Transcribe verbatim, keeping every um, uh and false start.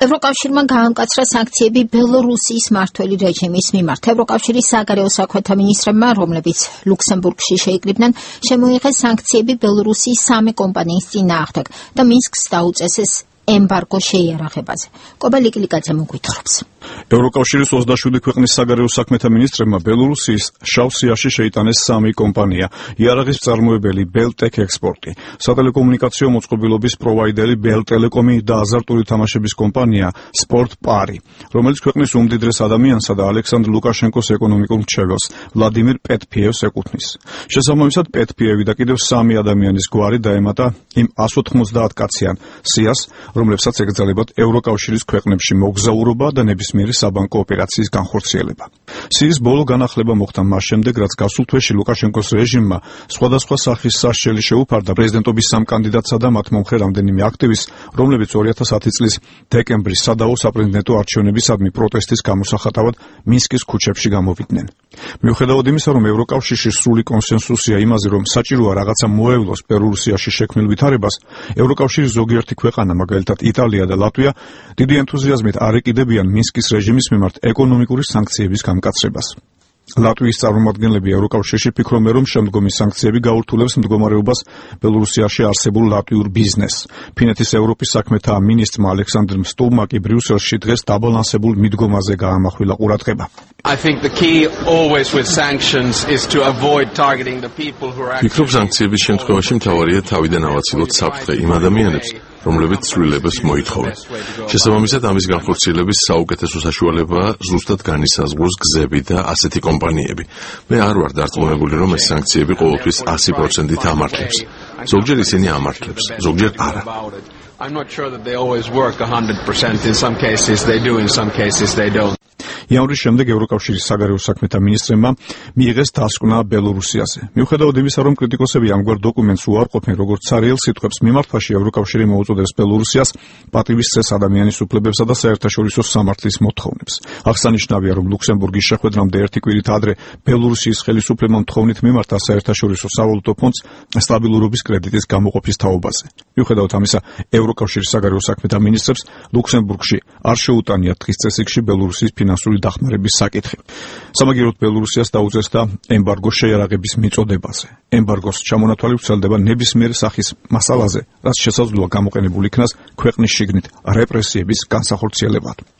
ევროკავშირმა გაამკაცრა სანქციები ბელორუსიის მმართველი რეჟიმის მიმართ. ევროკავშირის საგარეო საქმეთა მინისტრებმა, რომლებიც ლუქსემბურგში შეიკრიბნენ, შემოიღეს სანქციები ბელორუსიის სამი კომპანიის წინააღმდეგ და მინსკს დაუწესეს ემბარგო შეიარაღებაზე. კობა ლიკილიკაძე მოგვითხრობს. ევროკავშირის ოცდაშვიდი ქვეყნის საგარეო საქმეთა მინისტრებმა ბელორუსიის შავ სიაში შეიტანეს სამი კომპანია: იარაღის მწარმოებელი ბელტექ ექსპორტი, სატელეკომუნიკაციო მოწყობილობის პროვაიდერი ბელტელეკომი და აზარტული თამაშების კომპანია სპორტ პარი, რომელიც ქვეყნის უმდიდრეს ადამიანსა და ალექსანდრ ლუკაშენკოს ეკონომიკურ მრჩეველს ვლადიმირ პეტფიევს ეკუთვნის. შესაბამისად, პეტფიევი და კიდევ სამი ადამიანის გვარი დაემატა იმ ას ოთხმოცდაათ კაციან სიას, რომლებსაც ეკრძალებათ ევროკავშირის ქვეყნებში მოგზაურობა და ნებისმიერი საბანკო ოპერაციის განხორციელება. სიის ბოლო განახლება მოხდა მას შემდეგ, რაც გასულ თვეში ლუკაშენკოს რეჟიმმა სხვადასხვა სახის სასჯელი შეუფარდა პრეზიდენტობის სამ კანდიდატსა და მათ მომხრე რამდენიმე აქტივისტს, რომლებიც ორი ათას ათი წლის დეკემბრის სადავო საპრეზიდენტო არჩევნებისადმი პროტესტის გამოსახატავად მინსკის ქუჩებში გამოვიდნენ. მიუხედავად იმისა, რომ ევროკავშირში სრული კონსენსუსია იმაზე, რომ საჭიროა რაღაცა მოევლოს ბელორუსიაში შექმნილ ვითარებას, ევროკავშირის ზოგიერთი ქვეყანა, მაგალითად იტალია და ლატვია, დიდი ენთუზიაზმით არ ეკიდებიან მინსკის რეჟიმის მიმართ ეკონომიკური სანქციების გამკაცრებას. ლატვიის წარმომადგენლები ევროკავშირში ფიქრობენ, რომ შემდგომი სანქციები გაურთულებს მდგომარეობას ბელორუსიაში არსებულ ლატვიურ ბიზნესს. ფინეთის ევროპის საქმეთა მინისტრმა ალექსანდრ სტულმა კი ბრიუსელში დღეს დაბალანსებულ მიდგომაზე გაამახვილა ყურადღება. ფიქრობ, სანქციების შემთხვევაში მთავარია თავიდან ავაცილოთ საფრთხე იმ ადამიანებს, რომლებიც ცვლილებას მოითხოვენ. შესაბამისად, ამის განხორციელების საუკეთესო საშუალებაა ზუსტად განისაზღვროს გზები და ასეთი კომპანიები. მე არ ვარ დარწმუნებული, რომ ეს სანქციები ყოველთვის ასი პროცენტით ამართლებს. ზოგჯერ ისინი ამართლებს, ზოგჯერ არა. I'm not sure that they always work one hundred percent. In some cases they do, in some cases they don't. იანვრის შემდეგ ევროკავშირის საგარეო საქმეთა მინისტრებმა მიიღეს დასკვნა ბელორუსიაზე. მიუხედავად იმისა, რომ კრიტიკოსები ამგვარ დოკუმენტს უარყოფენ როგორც ცარიელ სიტყვებს, მიმართვაში ევროკავშირი მოუწოდებს ბელორუსიას პატივისცეს ადამიანის უფლებებსა და საერთაშორისო სამართლის მოთხოვნებს. აღსანიშნავია, რომ ლუქსემბურგის შეხვედრამდე ერთი კვირით ადრე ბელორუსიის ხელისუფლებამ თხოვნით მიმართა საერთაშორისო სავალუტო ფონდს სტაბილურობის კრედიტის გამოყოფის თაობაზე. მიუხედავად ამისა, ევროკავშირის საგარეო საქმეთა მინისტრებს ლუქსემბურგში არ შეუტანიათ დღის წესრიგში ბელორუსის ფინანსური დახმარების საკითხი. სამაგიეროდ ბელორუსიას დაუწესდა ემბარგო შეიარაღების მიწოდებაზე. ემბარგოს ჩამონათვალი ვრცელდება ნებისმიერ სახის მასალაზე, რაც შესაძლოა გამოყენებულ იქნას ქვეყნის შიგნით რეპრესიების განსახორციელებად.